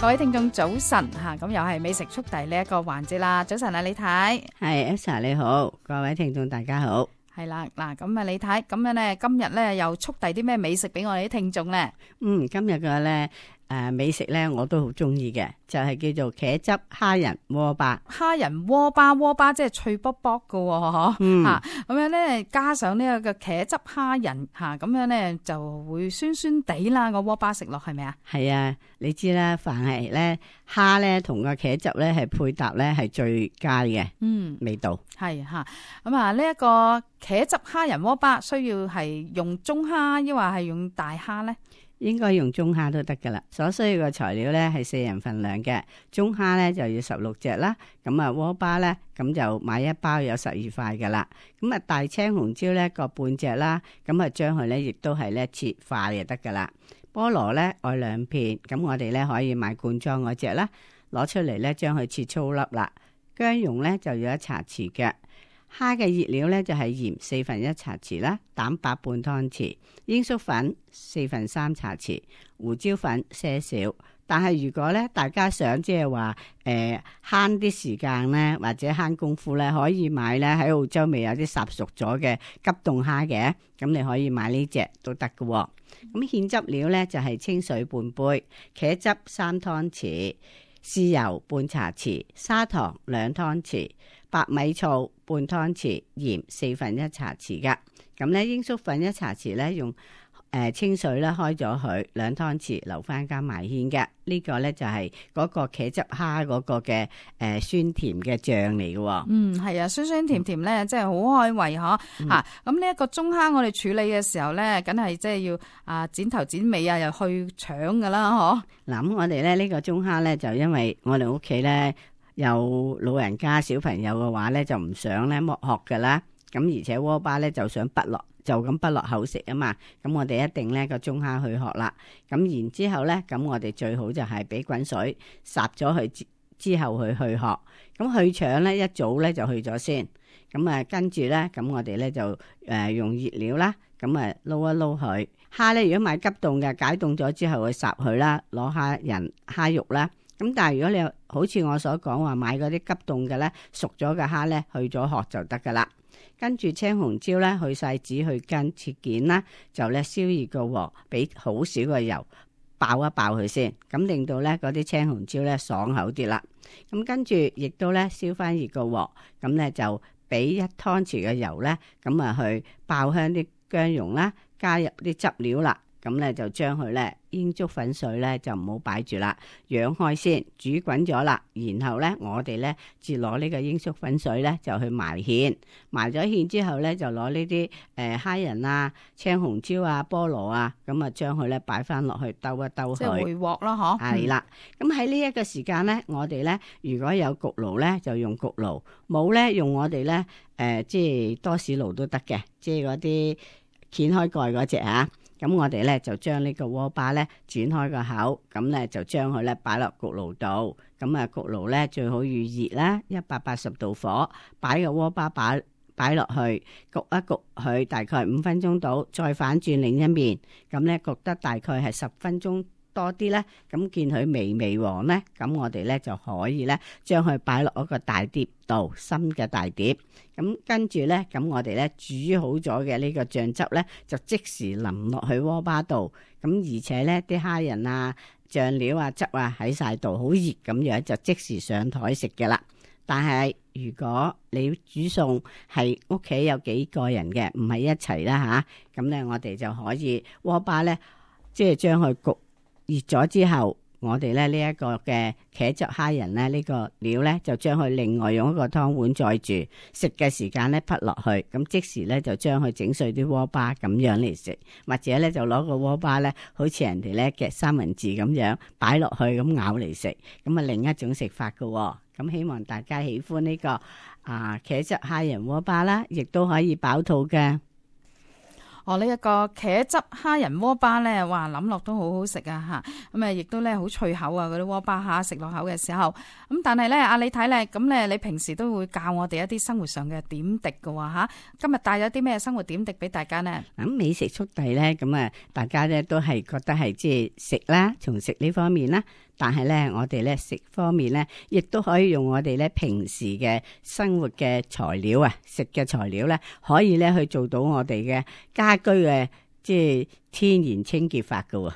各位聽眾早晨吓，咁又係美食速遞呢一個環節啦。早晨啊，李太，係 Elsa 你好，各位聽眾大家好。係啦，嗱咁啊，李太咁樣咧，今日咧又速遞啲咩美食俾我哋啲聽眾咧？今日嘅咧美食咧我都好中意嘅，就係叫做茄汁蝦仁鍋巴。蝦仁鍋巴即係脆卜卜嘅嗬，吓咁樣咧，加上呢個嘅茄汁蝦仁吓，咁樣咧就會酸酸地啦。個鍋巴食落係咪啊？係啊，你知啦，凡係咧蝦咧同個茄汁咧係配搭咧係最佳嘅，味道係吓。咁啊，呢一個茄汁蝦仁鍋巴需要係用中蝦，抑或係用大蝦咧？應該用中蝦都得噶啦。所需要嘅材料咧係4人份量嘅，中蝦咧就要16隻啦。咁啊鍋巴咧咁就買一包有12塊噶啦。咁啊大青紅椒咧各半隻啦。咁啊將佢咧亦都係咧切塊就得噶啦。菠蘿咧愛2片，咁我哋咧可以買罐裝嗰隻啦。攞出嚟咧將佢切粗粒啦。薑蓉咧就要1茶匙嘅。蝦嘅熱料咧就係鹽1/4茶匙啦，蛋白半湯匙，鷹粟粉3/4茶匙，胡椒粉些少。但係如果咧大家想即係話慳啲時間咧，或者慳功夫咧，可以買咧喺澳洲未有啲烚熟咗嘅急凍蝦嘅，咁你可以買呢隻都得㗎喎。咁芡汁料咧就係清水半杯，茄汁3湯匙，豉油半茶匙，砂糖2湯匙，白米醋半湯匙，鹽1/4茶匙噶。咁咧鷹粟粉1茶匙咧用清水咧開咗佢2湯匙，留翻加埋芡嘅。呢個咧就係嗰個茄汁蝦嗰個嘅酸甜嘅醬嚟嘅。係啊，酸酸甜甜咧，真係好開胃嗬吓。咁呢一個中蝦我哋處理嘅時候咧，梗係即係要剪頭剪尾啊，又去腸噶啦嗬。嗱，咁我哋咧呢個中蝦咧就因為我哋屋企咧有老人家小朋友嘅話咧，就唔想咧剝殼噶啦。咁而且鍋巴咧就想就咁滗落口食啊嘛，咁我哋一定咧個中蝦去殼啦。咁然之後咧，咁我哋最好就係俾滾水烚咗佢之後去殼。咁去腸咧一早咧就去咗先。咁啊跟住咧，咁我哋咧就用熱料啦，咁啊撈一撈佢。蝦咧如果買急凍嘅，解凍咗之後去烚佢啦，攞蝦仁蝦肉啦。咁但係如果你好似我所講話買嗰啲急凍嘅咧，熟咗嘅蝦咧去咗殼就得噶啦。跟住青紅椒咧去晒籽去根切件啦，就咧燒熱個鑊，俾好少個油爆一爆佢先，咁令到咧嗰啲青紅椒咧爽口啲啦。咁跟住亦都咧燒翻熱個鑊，咁咧就俾1湯匙嘅油咧，咁啊去爆香啲薑蓉啦，加入啲汁料啦。咁咧就將佢咧鷹粟粉水咧就唔好擺住啦，揚開先，煮滾咗啦，然後咧我哋咧至攞呢個鷹粟粉水咧就去埋芡，埋咗芡之後咧就攞呢啲蝦仁啊、青紅椒啊、菠蘿啊，咁啊將佢咧擺翻落去兜一兜佢，即係回鑊啦，嗬。係啦，咁喺呢一個時間咧，我哋咧如果有焗爐咧就用焗爐，冇咧用我哋咧即係多士爐都得嘅，即係嗰啲掀開蓋嗰隻啊。咁我哋咧就將呢個鍋巴咧轉開個口，咁咧就將佢咧擺落焗爐度。咁啊焗爐咧最好預熱啦，180度火，擺個鍋巴擺落去焗一焗佢大概5分鐘到，再反轉另一面。咁咧焗得大概係10分鐘多啲咧，咁見佢微黃咧，咁我哋咧就可以咧將佢擺落一個大碟度，深嘅大碟。咁跟住咧，咁我哋咧煮好咗嘅呢個醬汁咧，就即時淋落去鍋巴度。咁而且咧啲蝦仁啊、醬料啊、汁啊喺晒度，好熱咁樣就即時上台食嘅啦。但係如果你煮餸係屋企有幾個人嘅，唔係一齊啦吓，咁咧我哋就可以鍋巴咧，即係將佢焗熱咗之後，我哋咧呢一個嘅茄汁蝦仁咧呢個料咧就將佢另外用一個湯碗載住，食嘅時間咧滗落去，咁即時咧就將佢整碎啲鍋巴咁樣嚟食，或者咧就攞個鍋巴咧好似人哋咧夾三文治咁樣擺落去咁咬嚟食，咁啊另一種食法噶。咁希望大家喜歡呢個茄汁蝦仁鍋巴啦，亦都可以飽肚嘅。呢一個茄汁蝦仁鍋巴咧，哇諗落都好好食啊吓，咁啊亦都咧好脆口啊，嗰啲鍋巴蝦食落口嘅時候，咁但係咧阿李太咧，咁咧你平時都會教我哋一啲生活上嘅點滴㗎喎吓，今日帶咗啲咩生活點滴俾大家呢？咁美食速遞咧，咁啊大家咧都係覺得係即係食啦，從食呢方面啦，但係咧我哋咧食方面咧，亦都可以用我哋咧平時嘅生活嘅材料啊，食嘅材料咧，可以咧去做到我哋嘅家居嘅即係天然清潔法噶喎。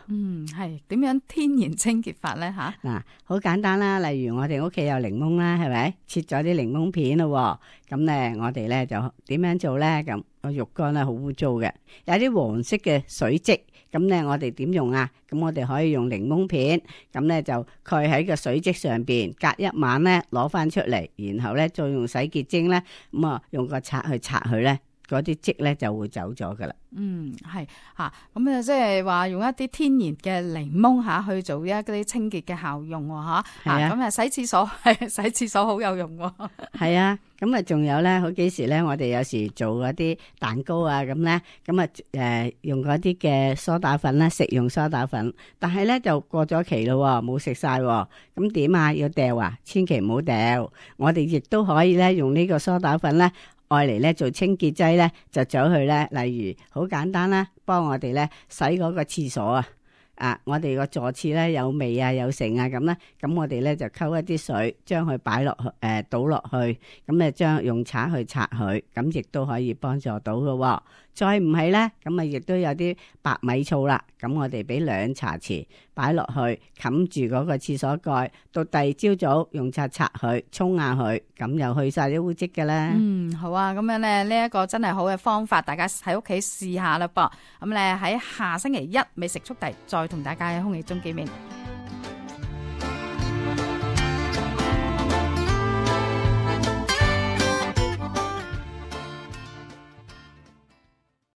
係點樣天然清潔法咧吓？嗱，好簡單啦，例如我哋屋企有檸檬啦，係咪？切咗啲檸檬片咯，咁咧我哋咧就點樣做咧？咁個浴缸咧好污糟嘅，有啲黃色嘅水漬，咁咧我哋點用啊？咁我哋可以用檸檬片，咁咧就蓋喺個水漬上邊，隔一晚咧攞翻出嚟，然後咧再用洗潔精咧，咁啊用個刷去刷佢咧，嗰啲漬咧就會走咗噶啦。係吓，咁啊即係話用一啲天然嘅檸檬吓去做一啲清潔嘅效用吓，咁啊洗廁所洗廁所好有用喎。係啊，咁啊仲有咧，好幾時咧，我哋有時做嗰啲蛋糕啊咁咧，咁啊用嗰啲嘅梳打粉啦，食用梳打粉，但係咧就過咗期咯，冇食晒，咁點啊？要掉啊？千祈唔好掉，我哋亦都可以咧用呢個梳打粉咧。愛嚟咧做清潔劑咧，就走去咧，例如好簡單啦，幫我哋咧洗嗰個廁所啊，我哋個坐廁咧有味啊有剩啊咁咧，咁我哋咧就溝一啲水，將佢擺落去，倒落去，咁咧將用刷去刷佢，咁亦都可以幫助到嘅。再唔係咧，咁啊亦都有啲白米醋啦，咁我哋俾2茶匙擺落去，冚住嗰個廁所蓋，到第二朝早用刷刷佢，沖下佢，咁又去晒啲污漬嘅啦。好啊，咁樣咧呢一個真係好嘅方法，大家喺屋企試下啦噃。咁咧喺下星期一美食速遞再同大家喺空氣中見面。